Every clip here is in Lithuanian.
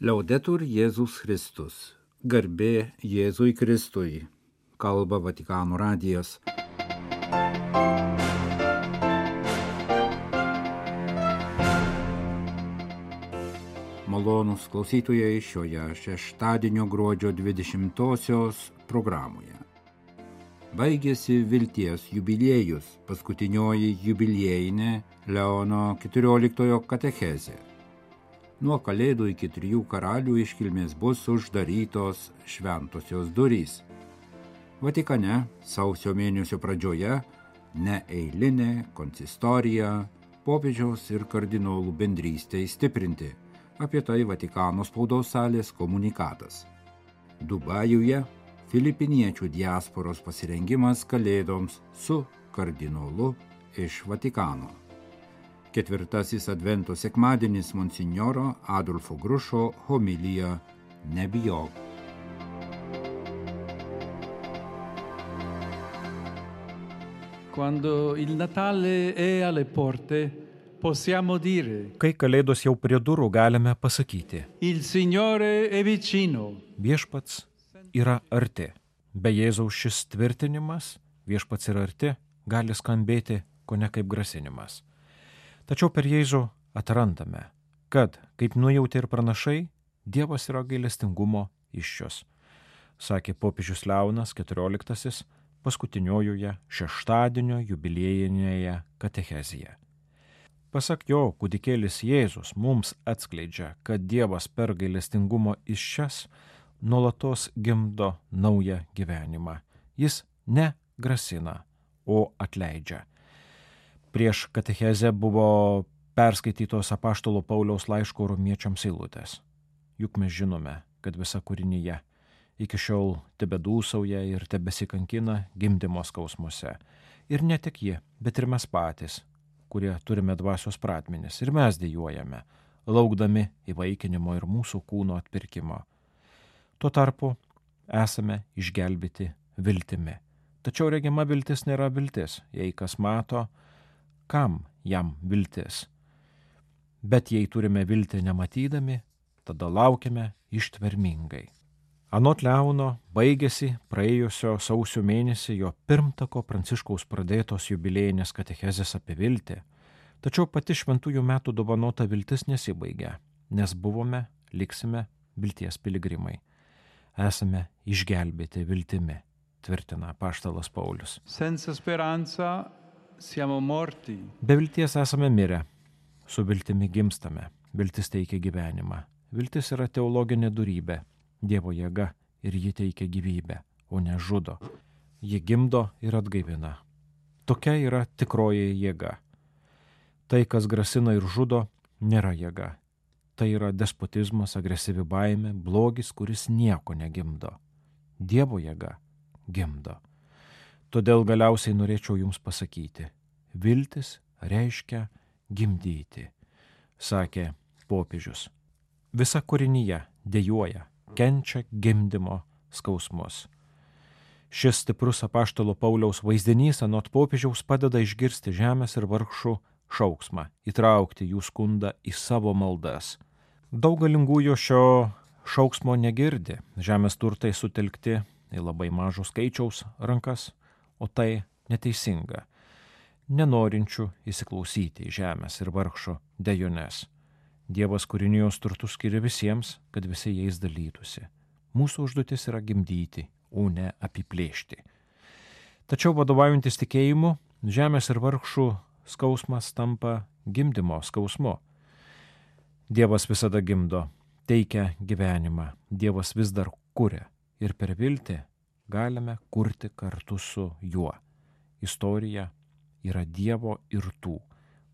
Liaudetur Jėzus Kristus. Garbė Jėzui Kristui. Kalba Vatikano radijas. Malonūs klausytojai šioje šeštadienio gruodžio 20-osios programoje. Baigėsi vilties jubiliejus, paskutinioji jubiliejinė Leono XIV katechezė. Nuo Kalėdų iki 3 karalių iškilmės bus uždarytos šventosios durys. Vatikane sausio mėnesio pradžioje neeilinė konsistorija, popiežiaus ir kardinolų bendrystei stiprinti. Apie tai Vatikano spaudos salės komunikatas. Dubajuje filipiniečių diasporos pasirengimas Kalėdoms su kardinolu iš Vatikano. 4. Advento sekmadienis monsinjoro Adolfo Grušo homilija Nebijok. Quando il Natale è alle porte, possiamo dire: Kai Kalėdos jau prie durų, galime pasakyti: Il Signore è vicino. Viešpats yra arti. Be Jėzaus šis tvirtinimas, viešpats yra arti, gali skambėti kone kaip grasinimas. Tačiau per Jėzų atrandame, kad, kaip nujautė ir pranašai, Dievas yra gailestingumo įsčios, sakė popiežius Leonas XIV paskutiniojoje šeštadienio jubiliejinėje katechezėje. Pasak jo, kūdikėlis Jėzus mums atskleidžia, kad Dievas per gailestingumo įsčias nuolatos gimdo naują gyvenimą. Jis ne grasina, o atleidžia. Prieš katechezę buvo perskaitytos apaštalo Pauliaus laiško romiečiams eilutės. Juk mes žinome, kad visa kūrinyje iki šiol tebedūsauja ir tebesikankina gimdymo skausmuose. Ir ne tik ji, bet ir mes patys, kurie turime dvasios pradmenis, ir mes dejuojame, laukdami įvaikinimo ir mūsų kūno atpirkimo. Tuo tarpu esame išgelbėti viltimi. Tačiau regima viltis nėra viltis, jei kas mato, kam jam viltis. Bet jei turime viltį nematydami, tada laukiame ištvermingai. Anot Leono baigėsi praėjusio sausio mėnesį jo pirmtako Pranciškaus pradėtos jubiliejinės katechezės apie viltį, tačiau pati šventųjų metų dovanota viltis nesibaigia, nes buvome, liksime vilties piligrimai. Esame išgelbėti viltimi, tvirtina apaštalas Paulius. Senza speranza siamo morti. Be vilties esame mirę, su viltimi gimstame, viltis teikia gyvenimą. Viltis yra teologinė dorybė, Dievo jėga ir ji teikia gyvybę, o ne žudo. Ji gimdo ir atgaivina. Tokia yra tikroji jėga. Tai, kas grasina ir žudo, nėra jėga. Tai yra despotizmas, agresyvi baimė, blogis, kuris nieko negimdo. Dievo jėga gimdo. Todėl galiausiai norėčiau jums pasakyti, viltis reiškia gimdyti, sakė popiežius. Visa kūrinyje dejuoja, kenčia gimdymo skausmus. Šis stiprus apaštalo Pauliaus vaizdinys anot popiežiaus padeda išgirsti žemės ir vargšų šauksmą, įtraukti jų skundą į savo maldas. Daug galingųjų šio šauksmo negirdi, žemės turtai sutelkti į labai mažo skaičiaus rankas, o tai neteisinga, nenorinčių įsiklausyti į žemės ir vargšo dejones. Dievas kūrinijos turtus skiria visiems, kad visi jais dalytųsi. Mūsų užduotis yra gimdyti, o ne apiplėšti. Tačiau vadovaujantis tikėjimu, žemės ir vargšų skausmas tampa gimdymo skausmu. Dievas visada gimdo, teikia gyvenimą, Dievas vis dar kuria ir per viltį galime kurti kartu su juo. Istorija yra Dievo ir tų,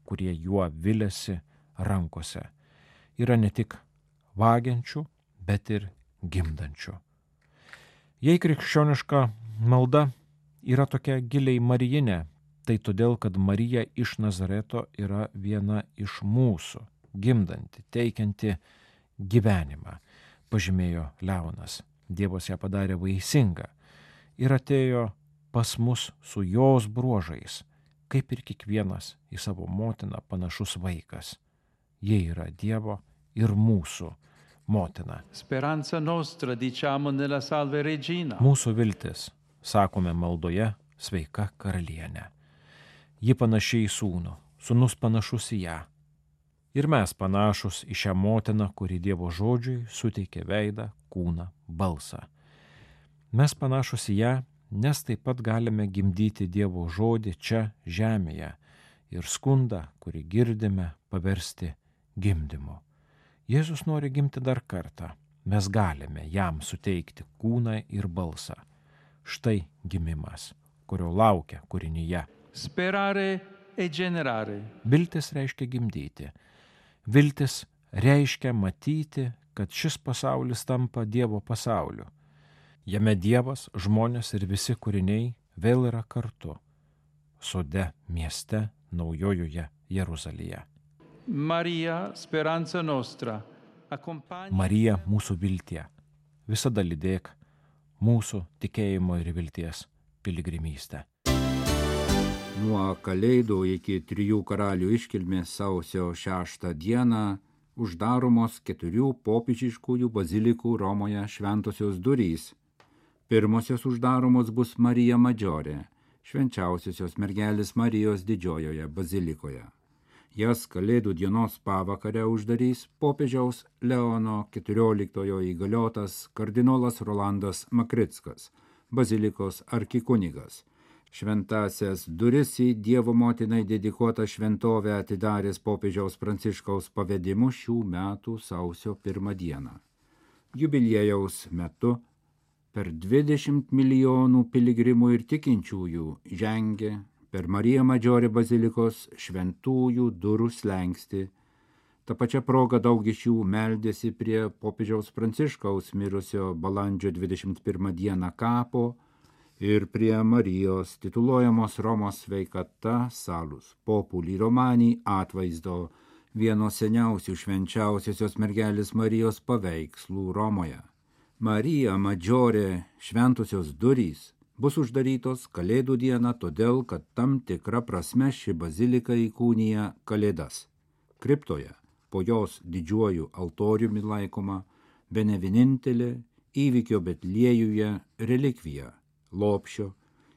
kurie juo viliasi rankose. Yra ne tik vagiančių, bet ir gimdančių. Jei krikščioniška malda yra tokia giliai marijinė, tai todėl, kad Marija iš Nazareto yra viena iš mūsų, gimdanti, teikianti gyvenimą, pažymėjo Leonas. Dievas ją padarė vaisingą ir atėjo pas mus su jos bruožais, kaip ir kiekvienas į savo motiną panašus vaikas. Jie yra Dievo ir mūsų motina. Speranza nostra, diciamo nella Salve Regina. Mūsų viltis, sakome maldoje, sveika karalienė. Ji panaši į sūnų, sūnus panašus į ją. Ir mes panašus į šią motiną, kuri Dievo žodžiui suteikė veidą, kūną, balsą. Mes panašus į ją, nes taip pat galime gimdyti Dievo žodį čia žemėje ir skundą, kurį girdime, paversti gimdymu. Jėzus nori gimti dar kartą. Mes galime jam suteikti kūną ir balsą. Štai gimimas, kurio laukia kūrinyje. Sperare e generare. Viltis reiškia gimdyti. Viltis reiškia matyti, kad šis pasaulis tampa Dievo pasauliu. Jame Dievas, žmonės ir visi kūriniai vėl yra kartu. Sode, mieste, naujojoje Jeruzalėje. Marija, speranza nostra. Marija, mūsų viltie. Visada lydėk mūsų tikėjimo ir vilties piligrimystę. Nuo Kalėdų iki Trijų karalių iškilmės sausio 6 dieną uždaromos 4 popiežiškųjų bazilikų Romoje šventosios durys. Pirmosios uždaromos bus Marija Madžiorė, švenčiausiosios mergelės Marijos didžiojoje bazilikoje. Jas Kalėdų dienos pavakarę uždarys popiežiaus Leono XIV įgaliotas kardinolas Rolandas Makrickas, bazilikos arkikunigas. Šventąsias duris į Dievo motinai dedikuotą šventovę atidaręs popiežiaus Pranciškaus pavedimu šių metų sausio 1 dieną. Jubiliejaus metu per 20 milijonų piligrimų ir tikinčiųjų žengė per Mariją Madžiorę bazilikos šventųjų durų slenkstį. Ta pačia proga daug iš jų meldėsi prie popiežiaus Pranciškaus mirusio balandžio 21 dieną kapo ir prie Marijos tituluojamos Romos sveikata Salus Populi Romani atvaizdo, vieno seniausių švenčiausiosios mergelės Marijos paveikslų Romoje. Marija Madžiorė šventosios durys bus uždarytos Kalėdų dieną, todėl, kad tam tikra prasme ši bazilika įkūnija Kalėdas. Kriptoje, po jos didžiuoju altoriumi laikoma, bene vienintelė įvykio Betliejuje relikvija – lopšio,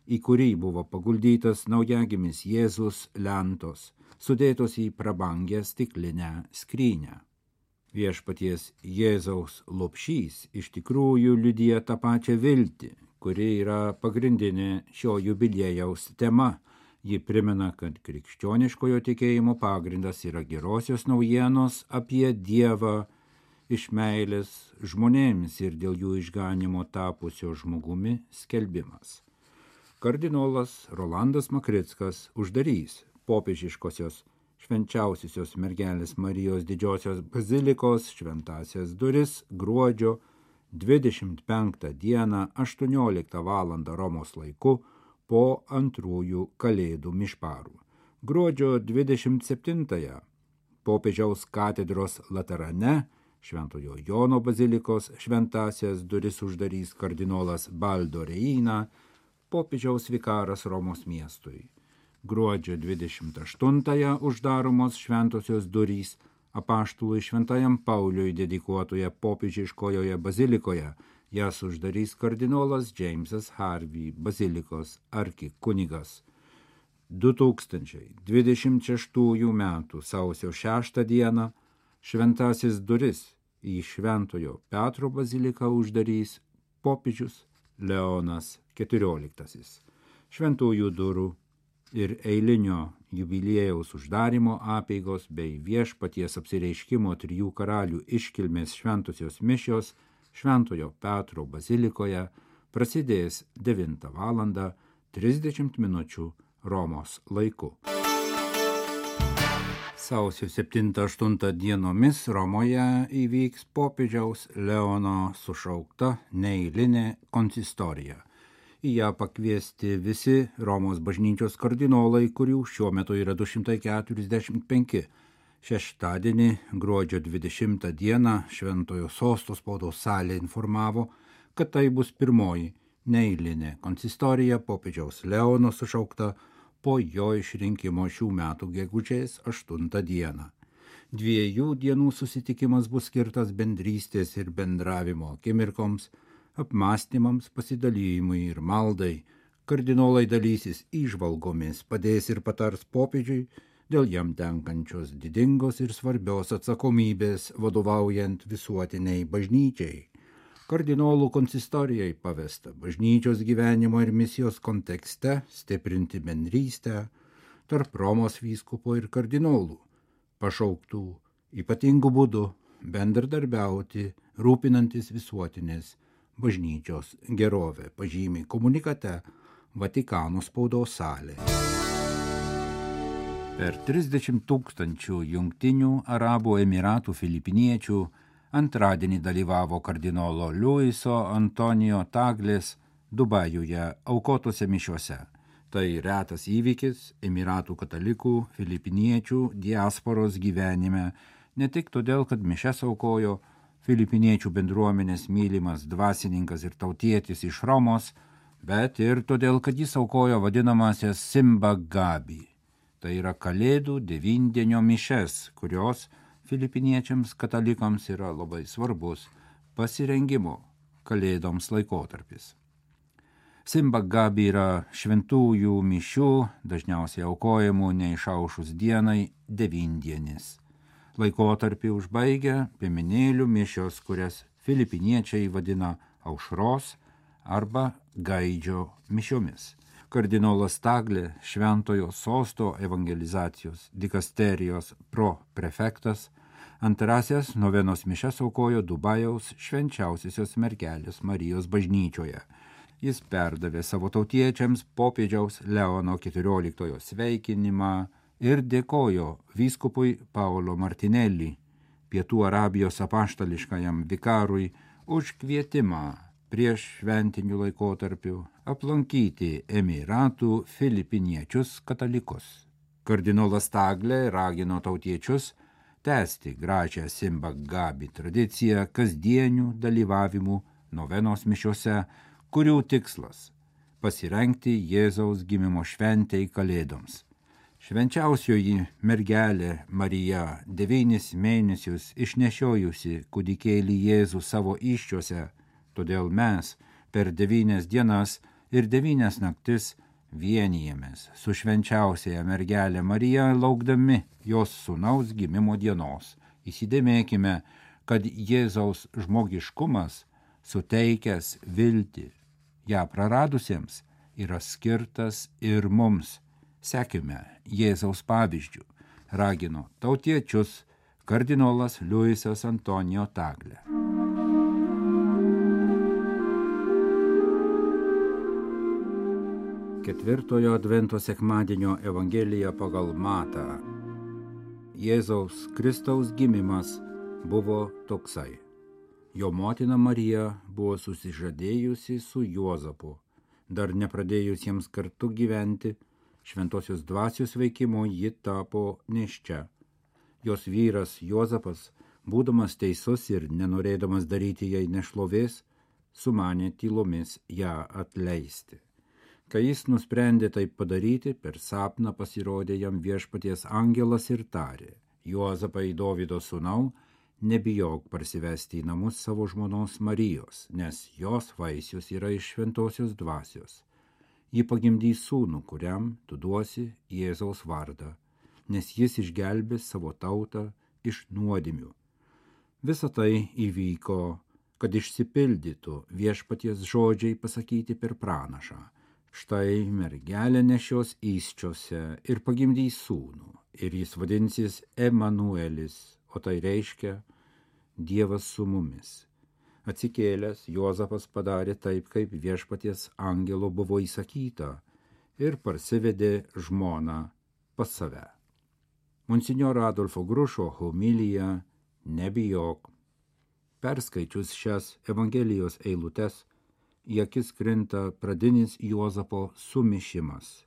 į kurį buvo paguldytas naujagimis Jėzus lentos, sudėtos į prabangę stiklinę skrynę. Viešpaties Jėzaus lopšys iš tikrųjų liudija tą pačią viltį, kuri yra pagrindinė šio jubiliejaus tema. Ji primena, kad krikščioniškojo tikėjimo pagrindas yra gerosios naujienos apie Dievą iš meilės žmonėms ir dėl jų išganimo tapusio žmogumi skelbimas. Kardinolas Rolandas Makrickas uždarys popiežiškosios švenčiausiosios mergelės Marijos didžiosios bazilikos šventąsias duris gruodžio 25 dieną 18 val. Romos laiku po antrųjų Kalėdų mišparų. Gruodžio 27 popiežiaus katedros Laterane Šventojo Jono bazilikos šventąsias duris uždarys kardinolas Baldo Reina, popiežiaus vikaras Romos miestui. Gruodžio 28 uždaromos šventosios durys apaštului Šventajam Pauliui dedikuotoje popiežiškojoje bazilikoje. Jas uždarys kardinolas Jamesas Harvey, bazilikos arkikunigas. 2026 metų sausio 6 dieną šventasis duris į Šventojo Petro baziliką uždarys popiežius Leonas XIV. Šventųjų durų ir eilinio jubiliejaus uždarimo apeigos bei Viešpaties apsireiškimo Trijų karalių iškilmės šventosios mišios Šventojo Petro bazilikoje prasidės 9 val. 30 minučių Romos laiku. Sausio 7-8 dienomis Romoje įvyks popiežiaus Leono sušaukta neeilinė konsistorija. Į ją pakviesti visi Romos bažnyčios kardinolai, kurių šiuo metu yra 245. Šeštadienį, gruodžio 20 dieną, Šventojo Sosto spaudos salė informavo, kad tai bus pirmoji neeilinė konsistorija popiežiaus Leono sušaukta po jo išrinkimo šių metų gegužės 8 dieną. 2 dienų susitikimas bus skirtas bendrystės ir bendravimo akimirkoms, apmąstymams, pasidalijimui ir maldai. Kardinolai dalysis įžvalgomis, padės ir patars popiežiui dėl jam tenkančios didingos ir svarbios atsakomybės vadovaujant visuotiniai bažnyčiai. Kardinolų konsistorijai pavesta bažnyčios gyvenimo ir misijos kontekste stiprinti bendrystę tarp Romos vyskupo ir kardinolų, pašauktų ypatingų būdų bendradarbiauti, rūpinantis visuotinės bažnyčios gerovę, pažymi komunikate Vatikano spaudos salė. Per 30 000 Jungtinių Arabų Emiratų filipiniečių antradienį dalyvavo kardinolo Luiso Antonijo Taglės Dubajuje aukotose mišiose. Tai retas įvykis Emiratų katalikų filipiniečių diasporos gyvenime, ne tik todėl, kad mišias aukojo filipiniečių bendruomenės mylimas dvasininkas ir tautietis iš Romos, bet ir todėl, kad jis aukojo vadinamasias Simba Gabi. Tai yra Kalėdų 9-dienio mišias, kurios filipiniečiams katalikams yra labai svarbus pasirengimo Kalėdoms laikotarpis. Simba Gabi yra šventųjų mišių, dažniausiai aukojamų neišaušus dienai 9-dienis. Laikotarpį užbaigia piemenėlių mišios, kurias filipiniečiai vadina aušros arba gaidžio mišiomis. Kardinolas Taglė, Šventojo Sosto evangelizacijos dikasterijos proprefektas, antrasias novenos mišias aukojo Dubajaus švenčiausiosios mergelės Marijos bažnyčioje. Jis perdavė savo tautiečiams popiežiaus Leono XIV sveikinimą ir dėkojo vyskupui Paolo Martinelli, Pietų Arabijos apaštališkajam vikarui, už kvietimą prieš šventinių laikotarpių aplankyti Emiratų filipiniečius katalikus. Kardinolas Taglė ragino tautiečius tęsti gražią Simba Gabi tradiciją kasdienių dalyvavimų novenos mišiose, kurių tikslas – pasirengti Jėzaus gimimo šventei Kalėdoms. Švenčiausioji mergelė Marija 9 mėnesius išnešiojusi kūdikėlį Jėzų savo įsčiose, todėl mes per 9 dienas ir 9 naktis vienijamės su švenčiausiaja mergelė Marija, laukdami jos sūnaus gimimo dienos. Įsidėmėkime, kad Jėzaus žmogiškumas, suteikęs viltį ją praradusiems, yra skirtas ir mums. Sekime Jėzaus pavyzdžių, ragino tautiečius kardinolas Luisas Antonijo Taglė. Ketvirtojo advento sekmadienio Evangelija pagal Matą. Jėzaus Kristaus gimimas buvo toksai. Jo motina Marija buvo susižadėjusi su Juozapu, dar nepradėjus jiems kartu gyventi, šventosios dvasios veikimo ji tapo nėščia. Jos vyras Juozapas, būdamas teisus ir nenorėdamas daryti jai nešlovės, sumanė tylomis ją atleisti. Kai jis nusprendė taip padaryti, per sapną pasirodė jam viešpaties angelas ir tarė: Juozapai, Dovydo sūnau, nebijok parsivesti į namus savo žmonos Marijos, nes jos vaisius yra iš šventosios dvasios. Ji pagimdys sūnų, kuriam tu duosi Jėzaus vardą, nes jis išgelbės savo tautą iš nuodėmių. Visa tai įvyko, kad išsipildytų viešpaties žodžiai pasakyti per pranašą. Štai mergelė nešios įsčiose ir pagimdys sūnų, ir jis vadinsis Emanuelis, o tai reiškia Dievas su mumis. Atsikėlęs, Juozapas padarė taip, kaip viešpaties angelo buvo įsakyta, ir parsivedė žmoną pas save. Monsinjoro Adolfo Grušo homilija Nebijok. Perskaičius šias Evangelijos eilutes, į akis krinta pradinis Juozapo sumišimas.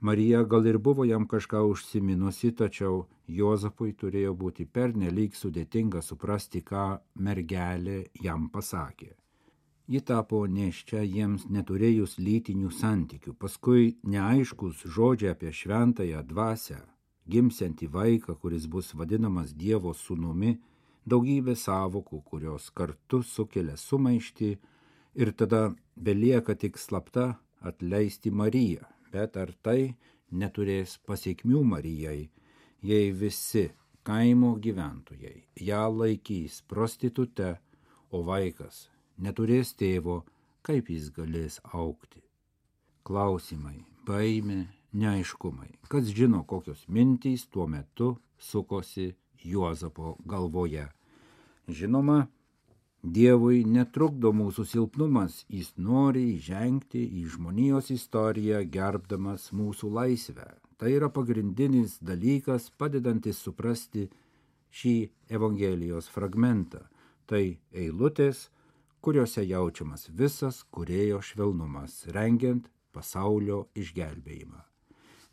Marija gal ir buvo jam kažką užsiminusi, tačiau Juozapui turėjo būti pernelyg sudėtinga suprasti, ką mergelė jam pasakė. Ji tapo nėščia jiems neturėjus lytinių santykių, paskui neaiškus žodžiai apie šventąją dvasią, gimsiantį vaiką, kuris bus vadinamas Dievo sūnumi, daugybė sąvokų, kurios kartu sukelia sumaištį ir tada belieka tik slapta atleisti Mariją. Bet ar tai neturės pasekmių Marijai, jei visi kaimo gyventojai ją laikys prostitute, o vaikas neturės tėvo, kaip jis galės augti? Klausimai, baimė, neaiškumai. Kas žino, kokios mintys tuo metu sukosi Juozapo galvoje. Žinoma, Dievui netrukdo mūsų silpnumas, jis nori įžengti į žmonijos istoriją, gerbdamas mūsų laisvę. Tai yra pagrindinis dalykas, padedantis suprasti šį Evangelijos fragmentą. Tai eilutės, kuriuose jaučiamas visas kūrėjo švelnumas, rengiant pasaulio išgelbėjimą.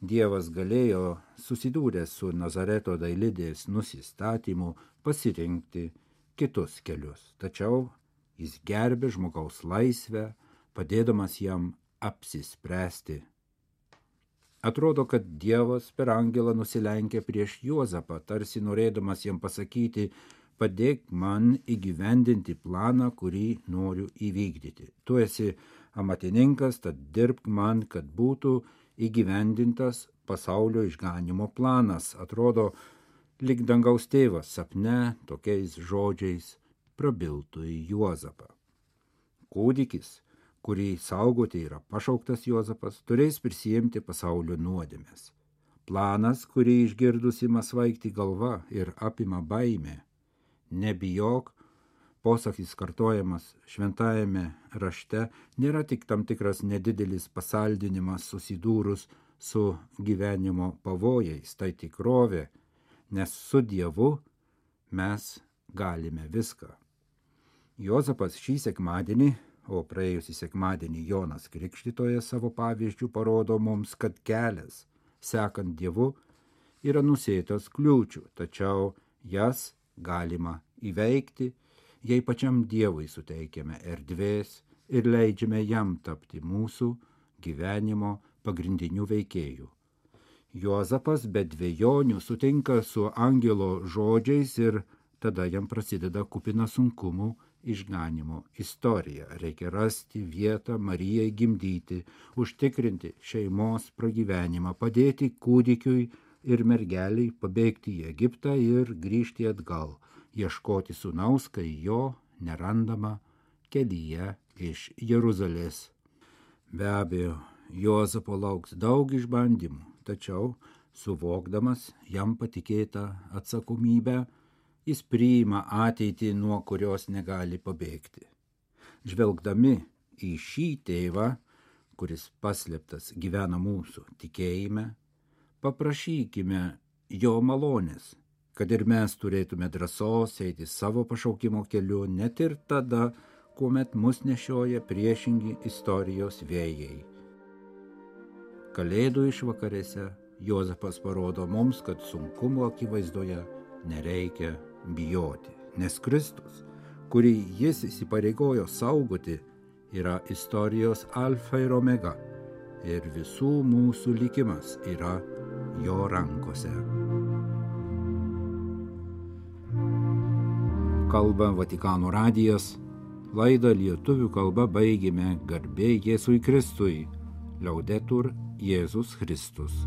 Dievas galėjo, susidūręs su Nazareto dailidės nusistatymu, pasirinkti kitus kelius, tačiau jis gerbė žmogaus laisvę, padėdamas jam apsispręsti. Atrodo, kad Dievas per angelą nusilenkė prieš Juozapą, tarsi norėdamas jam pasakyti: padėk man įgyvendinti planą, kurį noriu įvykdyti. Tu esi amatininkas, tad dirbk man, kad būtų įgyvendintas pasaulio išganymo planas. Atrodo, lyg dangaus tėvas sapne tokiais žodžiais prabiltų į Juozapą. Kūdikis, kurį saugoti yra pašauktas Juozapas, turės prisiimti pasaulio nuodėmes. Planas, kurį išgirdus ima svaigti galva ir apima baimė. Nebijok, posakis kartojamas šventajame rašte, nėra tik tam tikras nedidelis pasaldinimas susidūrus su gyvenimo pavojais, tai tikrovė, nes su Dievu mes galime viską. Juozapas šį sekmadienį, o praėjusį sekmadienį Jonas Krikštytojas savo pavyzdžių parodo mums, kad kelias, sekant Dievu, yra nusėtas kliūčių, tačiau jas galima įveikti, jei pačiam Dievui suteikiame erdvės ir leidžiame jam tapti mūsų gyvenimo pagrindiniu veikėju. Juozapas be dvejonių sutinka su angelo žodžiais ir tada jam prasideda kupina sunkumų išganimo istorija. Reikia rasti vietą Marijai gimdyti, užtikrinti šeimos pragyvenimą, padėti kūdikiui ir mergeliai pabėgti į Egiptą ir grįžti atgal, ieškoti sūnaus, kai jo nerandama kelyje iš Jeruzalės. Be abejo, Juozapo lauks daug išbandymų, tačiau, suvokdamas jam patikėtą atsakomybę, jis priima ateitį, nuo kurios negali pabėgti. Žvelgdami į šį tėvą, kuris paslėptas gyvena mūsų tikėjime, paprašykime jo malonės, kad ir mes turėtume drąsos eiti savo pašaukimo keliu, net ir tada, kuomet mus nešioja priešingi istorijos vėjai. Kalėdų išvakarėse Juozapas parodo mums, kad sunkumo akivaizdoje nereikia bijoti, nes Kristus, kurį jis įsipareigojo saugoti, yra istorijos alfa ir omega, ir visų mūsų likimas yra jo rankose. Kalba Vatikano radijas, laidą lietuvių kalba baigėme garbė Jėzui Kristui, Laudetur Jėzus Kristus.